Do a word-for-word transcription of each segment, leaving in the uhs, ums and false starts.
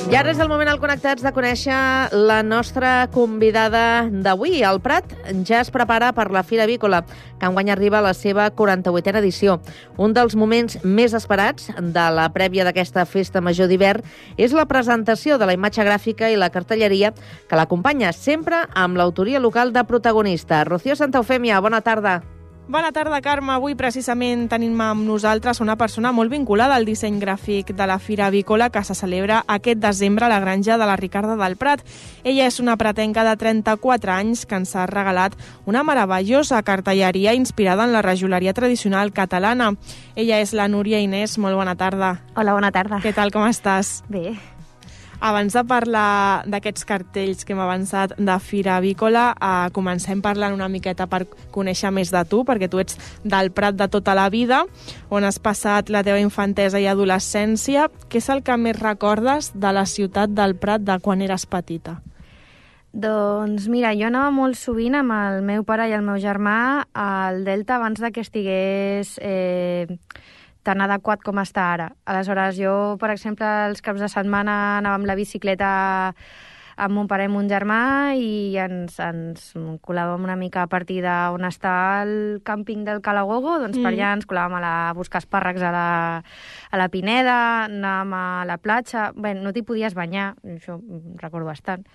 I ara és el moment al Connectats de conèixer la nostra convidada d'avui. El Prat ja es prepara per la Fira Avícola, que enguany arriba a la seva quaranta-vuitena edició. Un dels moments més esperats de la prèvia d'aquesta festa major d'hivern és la presentació de la imatge gràfica i la cartelleria que l'acompanya, sempre amb l'autoria local de protagonista. Rocío Santa Eufèmia, bona tarda. Bona tarda, Carme. Avui precisament tenim amb nosaltres una persona molt vinculada al disseny gràfic de la Fira Avícola que se celebra aquest desembre a la granja de la Ricarda del Prat. Ella és una pratenca de trenta-quatre anys que ens ha regalat una meravellosa cartelleria inspirada en la rajoleria tradicional catalana. Ella és la Núria Inés. Molt bona tarda. Hola, bona tarda. Què tal, com estàs? Bé. Abans de parlar d'aquests cartells que hem avançat de Fira Avícola, eh, comencem parlant una miqueta per conèixer més de tu, perquè tu ets del Prat de tota la vida, on has passat la teva infantesa i adolescència. Què és el que més recordes de la ciutat del Prat de quan eres petita? Doncs mira, jo anava molt sovint amb el meu pare i el meu germà al Delta abans de que estigués eh, tan adequat com està ara. Aleshores, jo, per exemple, els caps de setmana anava amb la bicicleta amb mon pare i mon germà i ens, ens colàvem una mica a partir d'on està el càmping del Calagogo, doncs mm. per allà ens colàvem a, la, a buscar espàrrecs a la, a la Pineda, anàvem a la platja. Bé, no t'hi podies banyar, això recordo bastant.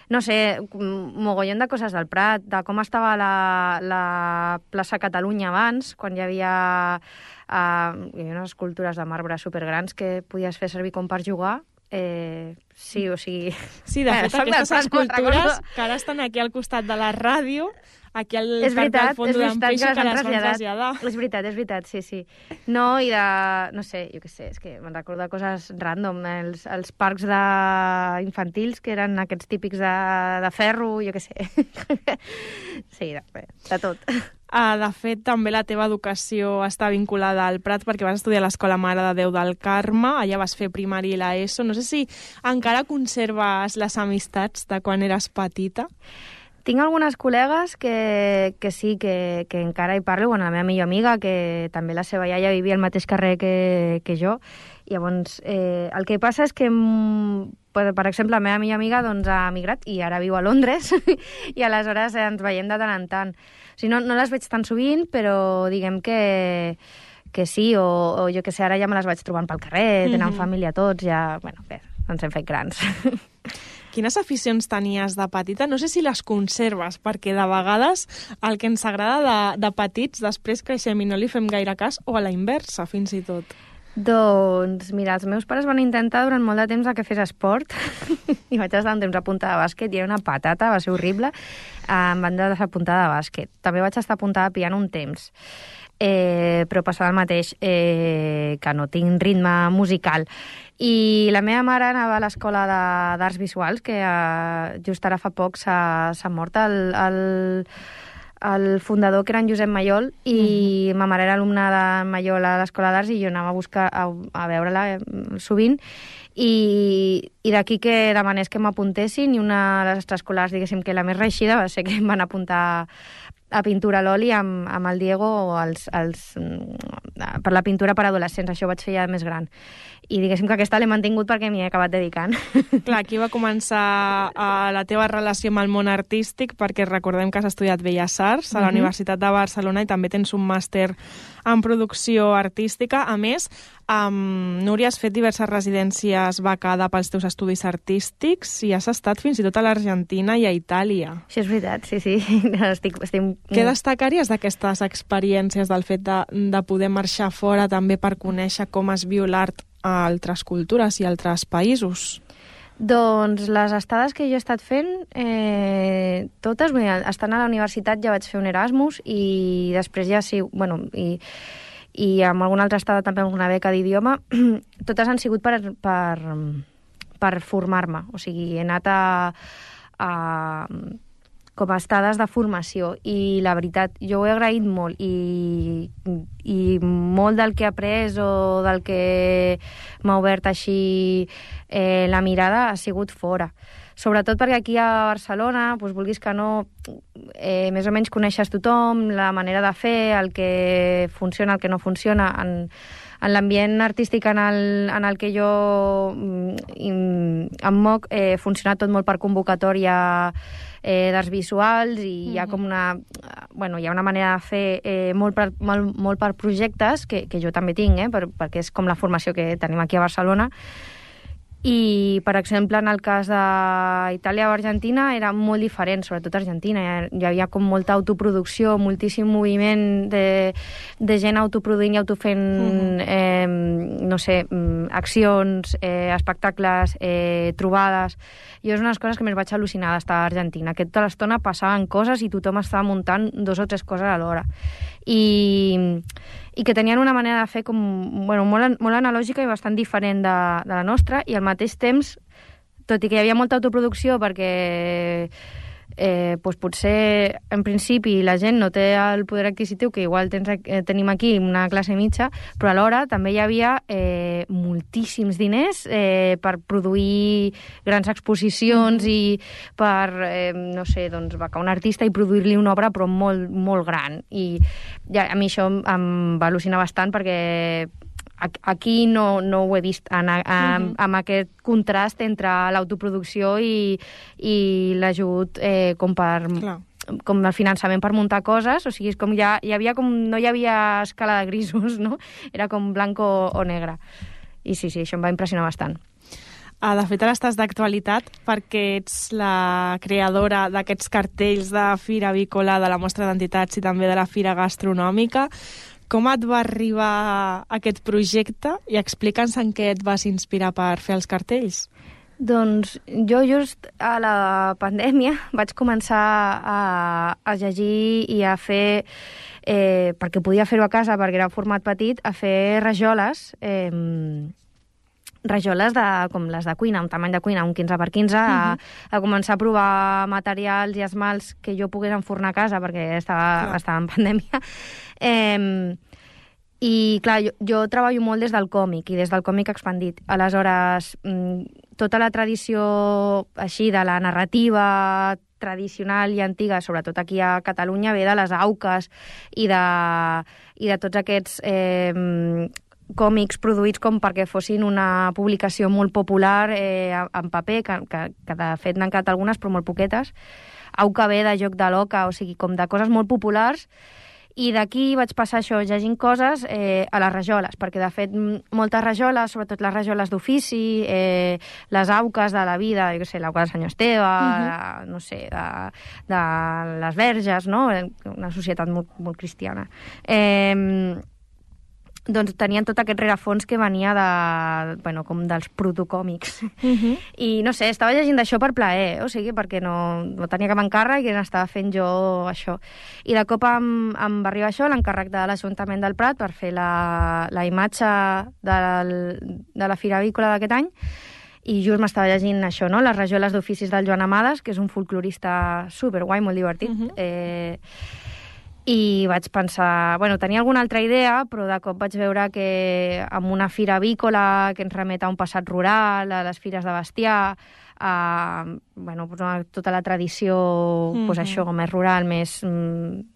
No sé, mogollon de coses del Prat, de com estava la, la plaça Catalunya abans, quan hi havia, uh, hi havia unes escultures de marbre supergrans que podies fer servir com per jugar. Eh, sí, o sigui... Sí, de fet, eh, aquestes escultures que ara estan aquí al costat de la ràdio, aquí al parc del Fondo d'en Peixo, que les van traslladar. És veritat, és veritat, sí, sí. No, i de... no sé, jo què sé, és que me'n recordo de coses random. Els, els parcs de infantils, que eren aquests típics de, de ferro, jo què sé. Sí, de, de tot. Uh, de fet, també la teva educació està vinculada al Prat perquè vas estudiar a l'Escola Mare de Déu del Carme, allà vas fer primària i l'ESO. No sé si encara conserves les amistats de quan eres petita. Tinc algunes col·legues que, que sí, que, que encara hi parlo. Bueno, la meva millor amiga, que també la seva iaia vivia al mateix carrer que, que jo. I llavors, eh, el que passa és que, per, per exemple, la meva millor amiga doncs, ha emigrat i ara viu a Londres i aleshores ens veiem de tant en tant. O sigui, no, no les veig tan sovint, però diguem que, que sí, o, o jo que sé, ara ja me les vaig trobant pel carrer, tenen mm-hmm. família tots, ja, bueno, bé, ens hem fet grans. Quines aficions tenies de petita? No sé si les conserves, perquè de vegades el que ens agrada de, de petits després creixem i no li fem gaire cas, o a la inversa, fins i tot. Doncs, mira, els meus pares van intentar durant molt de temps que fes esport i vaig estar un temps apuntada a bàsquet i era una patata, va ser horrible. Em van desapuntar de bàsquet. També vaig estar apuntada a piano un temps. Eh, però passava el mateix, eh, que no tinc ritme musical. I la meva mare anava a l'escola d'arts visuals, que eh, just ara fa poc s'ha mort el, el, el fundador, que era en Josep Mayol, i mm-hmm. ma mare era alumna de Mayol a l'escola d'arts i jo anava a buscar a, a veure-la sovint, i, i d'aquí que demanés que m'apuntessin, i una de les extraescolars, diguéssim, que la més reeixida va ser que em van apuntar a pintura a l'oli amb, amb el Diego els, els, per la pintura per adolescents. Això ho vaig fer ja més gran. I diguéssim que aquesta l'he mantingut perquè m'hi he acabat dedicant. Clar, aquí va començar uh, la teva relació amb el món artístic, perquè recordem que has estudiat Belles Arts a la uh-huh. Universitat de Barcelona i també tens un màster en producció artística. A més, um, Núria, has fet diverses residències becada pels teus estudis artístics i has estat fins i tot a l'Argentina i a Itàlia. Això és veritat, sí, sí. Estic, estic... Què destacaries d'aquestes experiències, del fet de, de poder marxar fora també per conèixer com es viu l'art a altres cultures i altres països? Doncs les estades que jo he estat fent, eh, totes, bé, estant a la universitat ja vaig fer un Erasmus i després ja sí, bueno, i, i amb alguna altra estada també alguna beca d'idioma, totes han sigut per, per, per formar-me, o sigui, he anat a, a com a estades de formació i la veritat, jo ho he agraït molt i, i molt del que he après o del que m'ha obert així eh, la mirada ha sigut fora. Sobretot perquè aquí a Barcelona, doncs, vulguis que no, eh, més o menys coneixes tothom, la manera de fer, el que funciona, el que no funciona. En, en l'ambient artístic en el, en el que jo em moc, eh, funciona tot molt per convocatòria eh, d'arts visuals i mm-hmm. hi ha com una, bueno, hi ha una manera de fer eh, molt, per, molt, molt per projectes, que, que jo també tinc, eh, per, perquè és com la formació que tenim aquí a Barcelona. I, per exemple, en el cas d'Itàlia o Argentina era molt diferent, sobretot Argentina. Hi havia com molta autoproducció, moltíssim moviment de, de gent autoproduint i autofent, uh-huh. eh, no sé, accions, eh, espectacles, eh, trobades. Jo és una de les coses que més vaig al·lucinar d'estar a Argentina, que tota l'estona passaven coses i tothom estava muntant dos o tres coses alhora. I... i que tenien una manera de fer com, bueno, molt, molt analògica i bastant diferent de, de la nostra, i al mateix temps, tot i que hi havia molta autoproducció perquè eh, doncs potser en principi la gent no té el poder adquisitiu que igual tens, eh, tenim aquí una classe mitja, però alhora també hi havia eh, moltíssims diners eh, per produir grans exposicions mm-hmm. i per, eh, no sé, doncs, becar un artista i produir-li una obra però molt, molt gran. I ja, a mi això em va al·lucinar bastant perquè aquí no, no ho he vist en, en, mm-hmm. amb aquest contrast entre l'autoproducció i, i l'ajut eh, com per... Clar. Com el finançament per muntar coses, o sigui, és com ja, hi havia com, no hi havia escala de grisos, no? Era com blanc o, o negre. I sí, sí, això em va impressionar bastant. Ah, de fet, ara estàs d'actualitat perquè ets la creadora d'aquests cartells de Fira Avícola, de la Mostra d'Entitats i també de la Fira Gastronòmica. Com et va arribar aquest projecte i explica'ns en què et vas inspirar per fer els cartells? Doncs jo just a la pandèmia vaig començar a, a llegir i a fer, eh, perquè podia fer-ho a casa perquè era un format petit, a fer rajoles, eh, rajoles de, com les de cuina, un tamany de cuina, un quinze per quinze, uh-huh. a, a començar a provar materials i esmalts que jo pogués enfornar a casa perquè estava, estava en pandèmia. Eh, I, clar, jo, jo treballo molt des del còmic i des del còmic expandit. Aleshores, tota la tradició així de la narrativa tradicional i antiga, sobretot aquí a Catalunya, ve de les auques i de, i de tots aquests eh, còmics produïts com perquè fossin una publicació molt popular eh, en paper, que, que, que de fet n'han quedat algunes, però molt poquetes. Auca ve de Joc de l'Oca, o sigui, com de coses molt populars. I d'aquí vaig passar això, llegint coses eh, a les rajoles, perquè de fet moltes rajoles, sobretot les rajoles d'ofici, eh, les auques de la vida, jo què sé, l'auca de senyor Esteve, uh-huh. de, no sé, de, de les verges, no? Una societat molt, molt cristiana. Eh, doncs tenien tot aquest rerefons que venia de, bueno, com dels protocòmics. Uh-huh. I no sé, estava llegint d'això per plaer, o sigui, perquè no, no tenia cap encàrrec i n'estava fent jo això. I de cop em, em va arribar això, l'encàrrec de l'Ajuntament del Prat per fer la, la imatge del, de la Fira Avícola d'aquest any, i just m'estava llegint això, no? Les rajoles d'oficis del Joan Amades, que és un folclorista superguai, molt divertit. Uh-huh. Eh, I vaig pensar... Bueno, tenia alguna altra idea, però de cop vaig veure que amb una fira avícola que ens remet a un passat rural, a les fires de bestiar, a bueno, tota la tradició mm-hmm. pues això, més rural, més mm,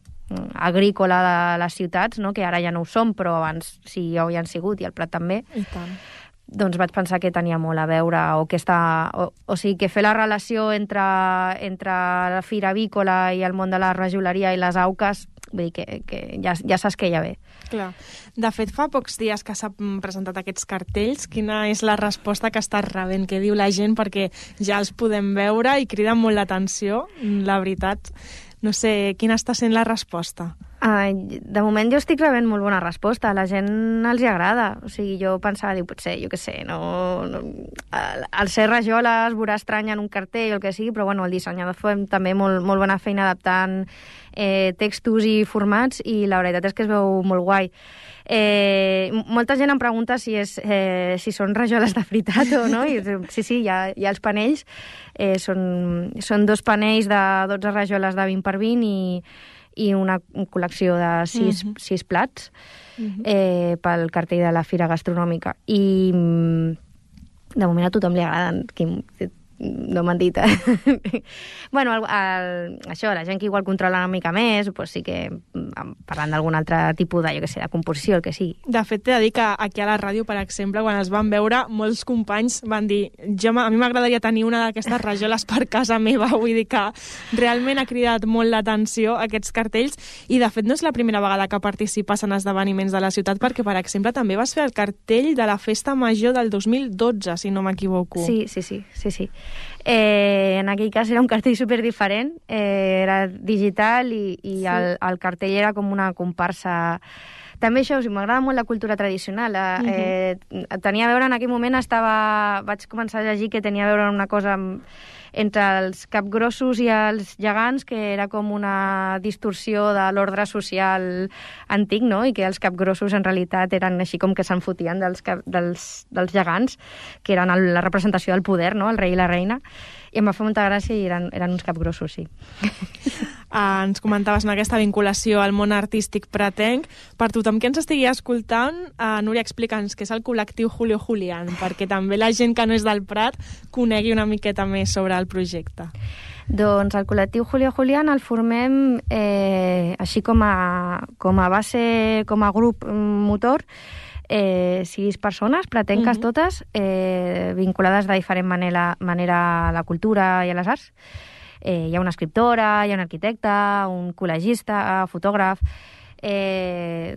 agrícola de les ciutats, no? Que ara ja no ho som, però abans sí ho hi han sigut, i el Prat també. I tant. Doncs vaig pensar que tenia molt a veure, o que està... O, o sigui, que fer la relació entre, entre la fira avícola i el món de la rajoleria i les auques, vull dir que, que ja, ja saps que ja ve. Clar. De fet, fa pocs dies que s'han presentat aquests cartells. Quina és la resposta que estàs rebent? Què diu la gent? Perquè ja els podem veure i criden molt l'atenció, la veritat. No sé, quina està sent la resposta? Uh, de moment jo estic rebent molt bona resposta, a la gent els hi agrada, o sigui, jo pensava, diu, potser, jo què sé, no, no, el ser rajola es veurà estrany en un cartell o el que sigui, però bueno, el dissenyador fa també molt, molt bona feina adaptant eh, textos i formats, i la veritat és que es veu molt guai. Eh, molta gent em pregunta si, és, eh, si són rajoles de veritat o no, i sí, sí, hi ha, hi ha els panells, eh, són, són dos panells de dotze rajoles de vint per vint i i una col·lecció de sis, uh-huh. sis plats uh-huh. eh, pel cartell de la Fira Gastronòmica. I de moment a tothom li agraden. no m'han dit. bueno, el, el, això, la gent que igual controla una mica més, pues sí que parlant d'algun altre tipus de, jo què sé, de composició, el que sigui. De fet, t'he de dir que aquí a la ràdio, per exemple, quan els van veure, molts companys van dir jo, a mi m'agradaria tenir una d'aquestes rajoles per casa meva, vull dir que realment ha cridat molt l'atenció aquests cartells, i de fet no és la primera vegada que participes en esdeveniments de la ciutat, perquè, per exemple, també vas fer el cartell de la Festa Major del dos mil dotze, si no m'equivoco. Sí, sí, sí, sí, sí. Eh, en aquell cas era un cartell super diferent, eh, era digital i, i sí. el, el cartell era com una comparsa. També això, o sigui, m'agrada molt la cultura tradicional. Eh, uh-huh. eh, tenia a veure, en aquell moment estava... Vaig començar a llegir que tenia a veure una cosa amb, entre els capgrossos i els gegants, que era com una distorsió de l'ordre social antic, no? I que els capgrossos en realitat eren així com que se'n fotien dels, cap, dels, dels gegants, que eren el, la representació del poder, no? El rei i la reina. I em va fer molta gràcia i eren, eren uns capgrossos, sí. Uh, ens comentaves en aquesta vinculació al món artístic pratenc. Per tothom que ens estigui escoltant, uh, Núria, explica'ns què és el col·lectiu Julio Julián, perquè també la gent que no és del Prat conegui una miqueta més sobre el projecte. Doncs el col·lectiu Julio Julián el formem eh, així com a, com a base, com a grup motor, Eh, sis persones, pratenques uh-huh. totes, eh, vinculades de diferent manera, manera a la cultura i a les arts. Eh, hi ha una escriptora, hi ha un arquitecte, un col·legista, fotògraf, eh,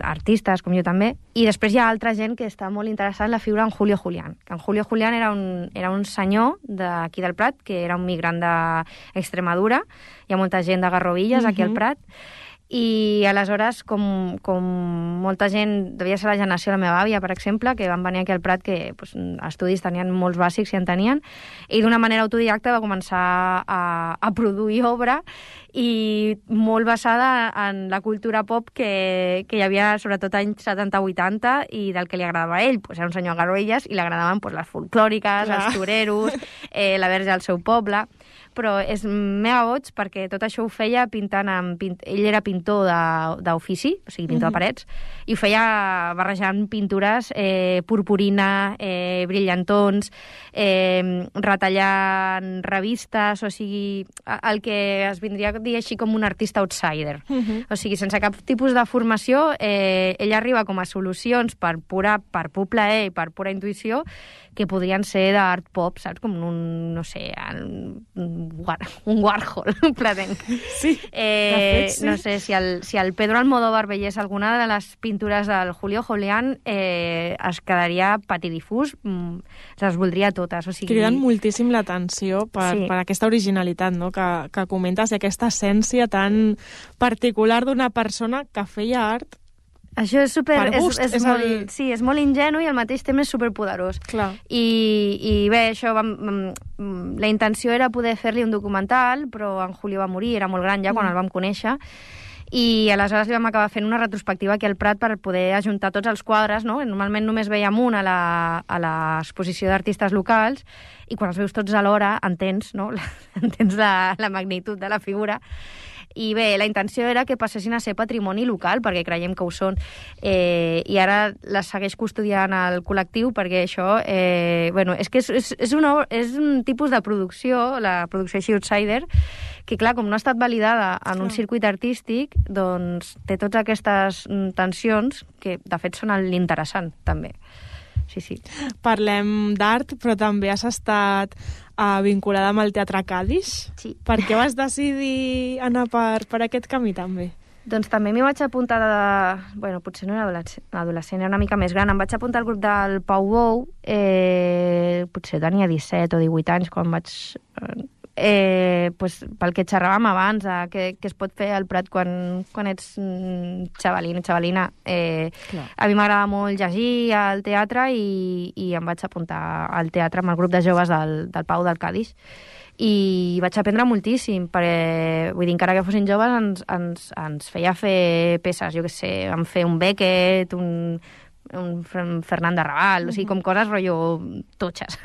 artistes, com jo també, i després hi ha altra gent que està molt interessada en la figura en Julio Julián. En Julio Julián era un, era un senyor d'aquí del Prat, que era un migrant d'Extremadura, hi ha molta gent de Garrovilles uh-huh. aquí al Prat, i aleshores, com, com molta gent, devia ser la generació de la meva àvia, per exemple, que van venir aquí al Prat, que pues, estudis tenien molts bàsics i en tenien, i d'una manera autodidacta va començar a, a produir obra, i molt basada en la cultura pop que, que hi havia sobretot anys setanta vuitanta i del que li agradava a ell. Pues era un senyor a Garrigues i li agradaven pues, les folclòriques, Clar. els toreros, eh, la verge al seu poble, però és mega boig perquè tot això ho feia pintant amb... Pint... Ell era pintor d'ofici, o sigui, pintor mm-hmm. de parets, i ho feia barrejant pintures, eh, purpurina, eh, brillantons, eh, retallant revistes, o sigui, el que es vindria a dir així com un artista outsider. Mm-hmm. O sigui, sense cap tipus de formació, eh, ell arriba com a solucions per pura, per pur plaer i per pura intuïció, que podrien ser d'art pop, saps? Com un, no sé, un, un Warhol, platenc. Sí, eh, fet, sí. No sé, si el, si el Pedro Almodóvar veiés alguna de les pintures del Julio Julián, eh, es quedaria patidifús, mm, les voldria totes. O sigui... Criden moltíssim l'atenció per, sí. per aquesta originalitat, no?, que, que comentes, i aquesta essència tan particular d'una persona que feia art. Això és super... Per gust, és, és, és molt, dir... Sí, és molt ingenu i al mateix temps és superpoderós. Clar. I, i bé, això... Vam, la intenció era poder fer-li un documental, però en Julio va morir, era molt gran ja quan mm. el vam conèixer, i aleshores li vam acabar fent una retrospectiva aquí al Prat per poder ajuntar tots els quadres, no? Normalment només veiem un a l'exposició d'artistes locals, i quan els veus tots alhora entens, no? entens la, la magnitud de la figura. I bé, la intenció era que passessin a ser patrimoni local, perquè creiem que ho són. Eh, I ara les segueix custodiant el col·lectiu, perquè això... Eh, bueno, és que és, és, és, una, és un tipus de producció, la producció així outsider, que, clar, com no ha estat validada en un circuit artístic, doncs té totes aquestes tensions que, de fet, són l'interessant, també. Sí, sí. Parlem d'art, però també has estat uh, vinculada amb el Teatre Cadis. Sí. Per què vas decidir anar per, per aquest camí, també? Doncs també m'hi vaig apuntar de... Bueno, potser no era adolescent, era una mica més gran. Em vaig apuntar al grup del Pau Bou, eh, potser tenia disset o divuit anys quan vaig... Eh, pues, pel que xerràvem abans, eh, que, que es pot fer al Prat quan, quan ets mm, xavalina, xavalina. Eh, a mi m'agrada molt llegir al teatre i, i em vaig apuntar al teatre amb el grup de joves del, del Pau del Cadis. I vaig aprendre moltíssim, perquè, vull dir, encara que fossin joves, ens, ens, ens feia fer peces, jo què sé, vam fer un Beckett, un, un Fernand de Raval, uh-huh. o sigui, com coses rotllo totxes.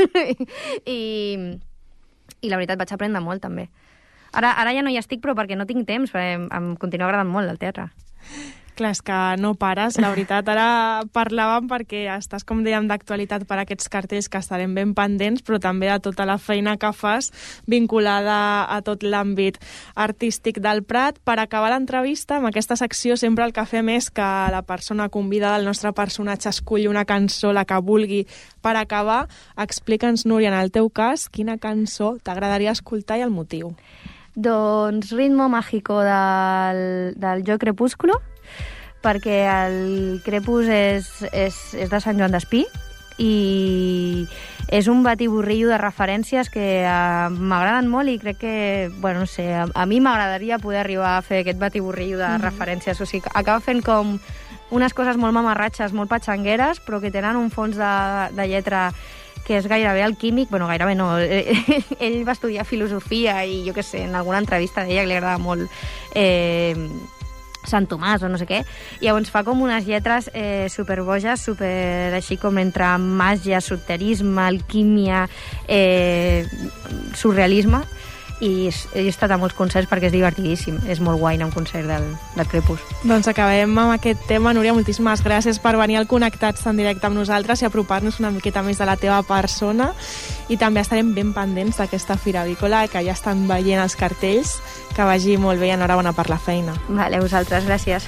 I... I la veritat vaig aprendre molt, també. Ara, ara ja no hi estic, però perquè no tinc temps, perquè em, em continua agradant molt el teatre. Clar, és que no pares, la veritat. Ara parlàvem perquè estàs, com dèiem, d'actualitat per aquests cartells que estarem ben pendents, però també de tota la feina que fas vinculada a tot l'àmbit artístic del Prat. Per acabar l'entrevista, amb aquesta secció sempre el que fem és que la persona convidada, el nostre personatge, esculli una cançó, la que vulgui. Per acabar, explica'ns, Núria, en el teu cas, quina cançó t'agradaria escoltar i el motiu. Doncs Ritmo Mágico del, del Jo Crepúsculo, perquè el Crepús és, és, és de Sant Joan d'Espí i és un batiburrillo de referències que uh, m'agraden molt i crec que, bueno, no sé, a, a mi m'agradaria poder arribar a fer aquest batiburrillo de mm-hmm. referències. O sigui, acaba fent com unes coses molt mamarratxes, molt patxangueres, però que tenen un fons de, de lletra que és gairebé alquímic. Bueno, gairebé no. Ell va estudiar filosofia i jo què sé, en alguna entrevista deia que li agrada molt eh, Sant Tomàs o no sé què, i llavors fa com unes lletres eh, superboges, super així com entre màgia, esoterisme, alquímia, eh, surrealisme, i he estat a molts concerts perquè és divertidíssim, és molt guai anar a un concert del, del Crepús. Doncs acabem amb aquest tema. Núria, moltíssimes gràcies per venir al Connectats en directe amb nosaltres i apropar-nos una miqueta més de la teva persona, i també estarem ben pendents d'aquesta Fira Avícola, que ja estan veient els cartells. Que vagi molt bé i enhorabona per la feina. Vale, a vosaltres, gràcies.